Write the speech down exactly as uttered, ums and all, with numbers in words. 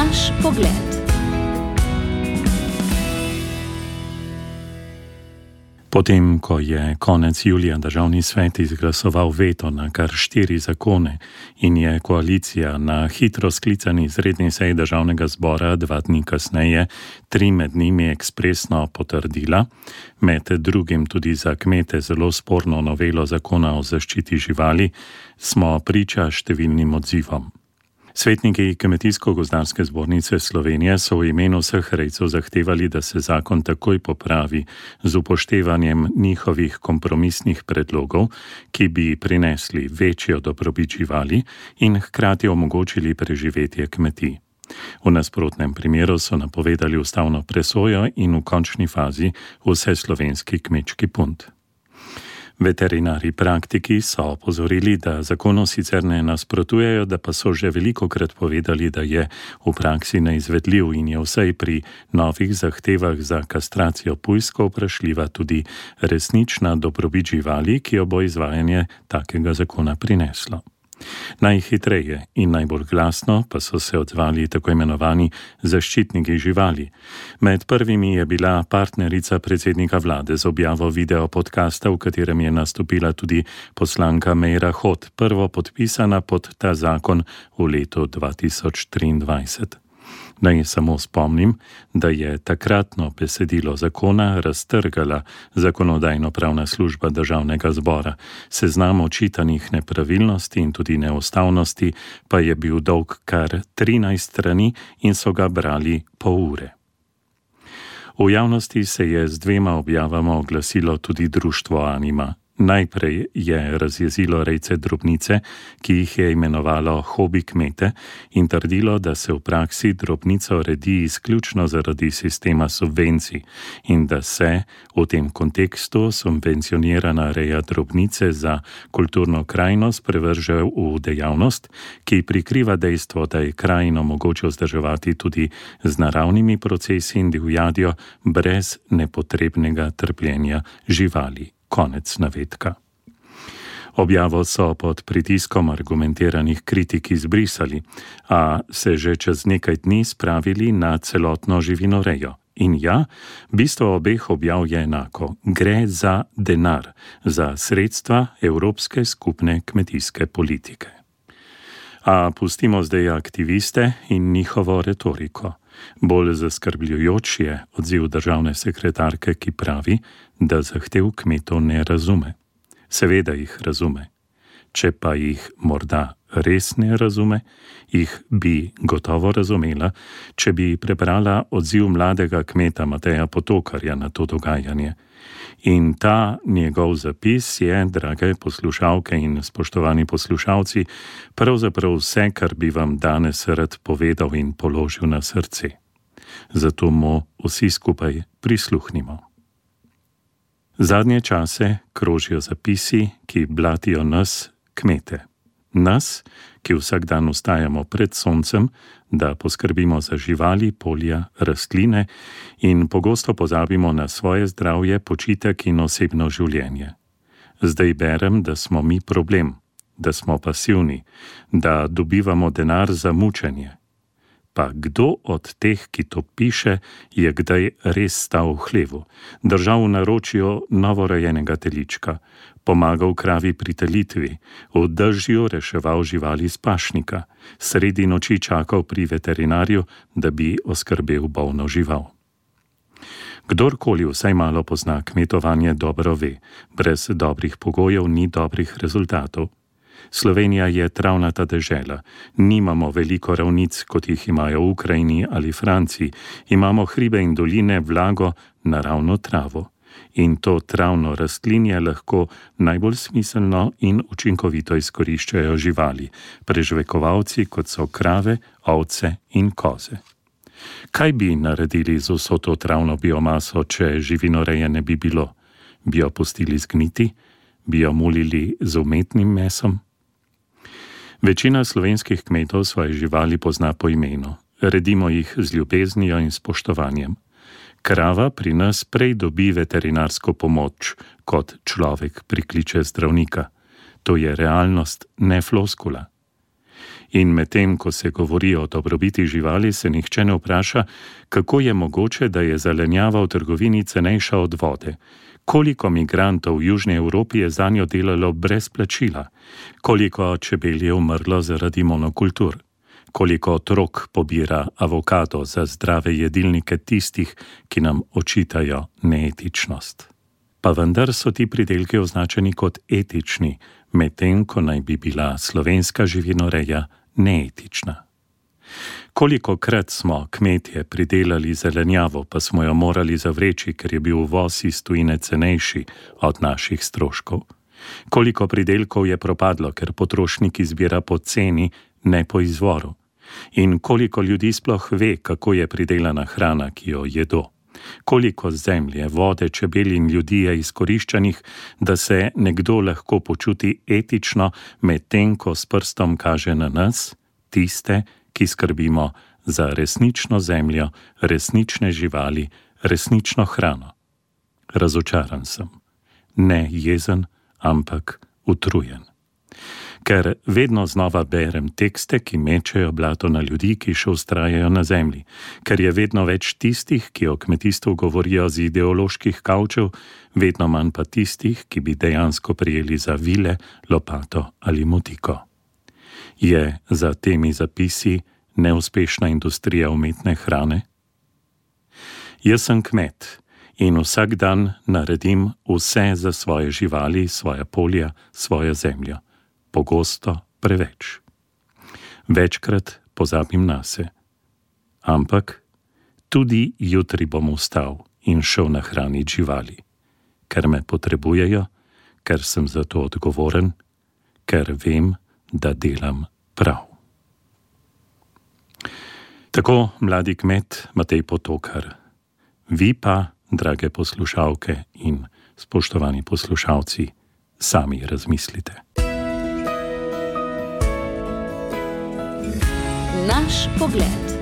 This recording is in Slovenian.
Naš pogled. Potem, ko je konec julija državni svet izglasoval veto na kar štiri zakone in je koalicija na hitro sklicani izredni seji državnega zbora dva dni kasneje tri med njimi ekspresno potrdila, med drugim tudi za kmete zelo sporno novelo zakona o zaščiti živali, smo priča številnim odzivom. Svetniki Kmetijsko-gozdarske zbornice Slovenije so v imenu vseh rejcev zahtevali, da se zakon takoj popravi z upoštevanjem njihovih kompromisnih predlogov, ki bi prinesli večjo dobrobit živali in hkrati omogočili preživetje kmetij. V nasprotnem primeru so napovedali ustavno presojo in v končni fazi vseslovenski kmečki punt. Veterinari praktiki so opozorili, da zakonu sicer ne nasprotujejo, da pa so že velikokrat povedali, da je v praksi neizvedljiv in je vsaj pri novih zahtevah za kastracijo pujskov vprašljiva tudi resnična dobrobit živali, ki jo bo izvajanje takega zakona prineslo. Najhitreje in najbolj glasno pa so se odzvali tako imenovani zaščitniki živali. Med prvimi je bila partnerica predsednika vlade z objavo video podcasta, v katerem je nastopila tudi poslanka Meira Hot, prvo podpisana pod ta zakon v letu dva tisoč triindvajset. Naj samo spomnim, da je takratno besedilo zakona raztrgala Zakonodajno-pravna služba državnega zbora. Seznam očitanih nepravilnosti in tudi neustavnosti pa je bil dolg kar trinajst strani in so ga brali pol ure. V javnosti se je z dvema objavama oglasilo tudi društvo Anima. Najprej je razjezilo rejce drobnice, ki jih je imenovalo hobi kmete, in trdilo, da se v praksi drobnico redi izključno zaradi sistema subvencij in da se v tem kontekstu subvencionirana reja drobnice za kulturno krajino sprevrže v dejavnost, ki prikriva dejstvo, da je krajino mogoče vzdrževati tudi z naravnimi procesi in divjadjo brez nepotrebnega trpljenja živali. Konec navedka. Objavo so pod pritiskom argumentiranih kritik izbrisali, a se že čez nekaj dni spravili na celotno živinorejo. In ja, bistvo obeh objav je enako. Gre za denar, za sredstva Evropske skupne kmetijske politike. A pustimo zdaj aktiviste in njihovo retoriko. Bolj zaskrbljujoč je odziv državne sekretarke, ki pravi, da zahtev kmetov ne razume. Seveda jih razume. Če pa jih morda res ne razume, jih bi gotovo razumela, če bi prebrala odziv mladega kmeta Mateja Potokarja na to dogajanje. In ta njegov zapis je, drage poslušalke in spoštovani poslušalci, pravzaprav vse, kar bi vam danes rad povedal in položil na srce. Zato mu vsi skupaj prisluhnimo. Zadnje čase krožijo zapisi, ki blatijo nas, kmete. Nas, ki vsak dan vstajamo pred soncem, da poskrbimo za živali, polja, rastline in pogosto pozabimo na svoje zdravje, počitek in osebno življenje. Zdaj berem, da smo mi problem, da smo pasivni, da dobivamo denar za mučenje. Pa kdo od teh, ki to piše, je kdaj res stal v hlevu, držal v naročju novorojenega telička, pomagal kravi pri telitvi, v dežju reševal živali z pašnika, sredi noči čakal pri veterinarju, da bi oskrbel bolno žival. Kdorkoli vsaj malo pozna kmetovanje, dobro ve, brez dobrih pogojev ni dobrih rezultatov. Slovenija je travnata dežela, nimamo veliko ravnic, kot jih imajo v Ukrajini ali Franciji, imamo hribe in doline, vlago, naravno travo. In to travno rastlinje lahko najbolj smiselno in učinkovito izkoriščajo živali, prežvekovalci, kot so krave, ovce in koze. Kaj bi naredili z vso to travno biomaso, če živinoreje ne bi bilo? Bi jo pustili zgniti? Bi jo mulili z umetnim mesom? Večina slovenskih kmetov svoje živali pozna po imenu. Redimo jih z ljubeznijo in spoštovanjem. Krava pri nas prej dobi veterinarsko pomoč, kot človek prikliče zdravnika. To je realnost, ne floskula. In medtem, ko se govori o dobrobiti živali, se nihče ne vpraša, kako je mogoče, da je zelenjava v trgovini cenejša od vode. Koliko migrantov v Južni Evropi je zanjo delalo brez plačila? Koliko čebel je umrlo zaradi monokultur? Koliko otrok pobira avokado za zdrave jedilnike tistih, ki nam očitajo neetičnost? Pa vendar so ti pridelki označeni kot etični, medtem ko naj bi bila slovenska živinoreja neetična. Kolikokrat smo kmetje pridelali zelenjavo, pa smo jo morali zavreči, ker je bil uvoz iz tujine cenejši od naših stroškov? Koliko pridelkov je propadlo, ker potrošnik izbira po ceni, ne po izvoru? In koliko ljudi sploh ve, kako je pridelana hrana, ki jo jedo? Koliko zemlje, vode, čebel in ljudi je izkoriščanih, da se nekdo lahko počuti etično, medtem ko s prstom kaže na nas, tiste, ki skrbimo za resnično zemljo, resnične živali, resnično hrano? Razočaran sem. Ne jezen, ampak utrujen. Ker vedno znova berem tekste, ki mečejo blato na ljudi, ki še vztrajajo na zemlji. Ker je vedno več tistih, ki o kmetijstvu govorijo z ideoloških kavčev, vedno manj pa tistih, ki bi dejansko prijeli za vile, lopato ali motiko. Je za temi zapisi neuspešna industrija umetne hrane? Jaz sem kmet in vsak dan naredim vse za svoje živali, svoja polja, svojo zemljo. Pogosto preveč. Večkrat pozabim nase. Ampak tudi jutri bom vstal in šel nahraniti živali, ker me potrebujejo, ker sem za to odgovoren, ker vem, da delam prav. Tako mladi kmet Matej Potokar. Vi pa, drage poslušalke in spoštovani poslušalci, sami razmislite. Naš pogled.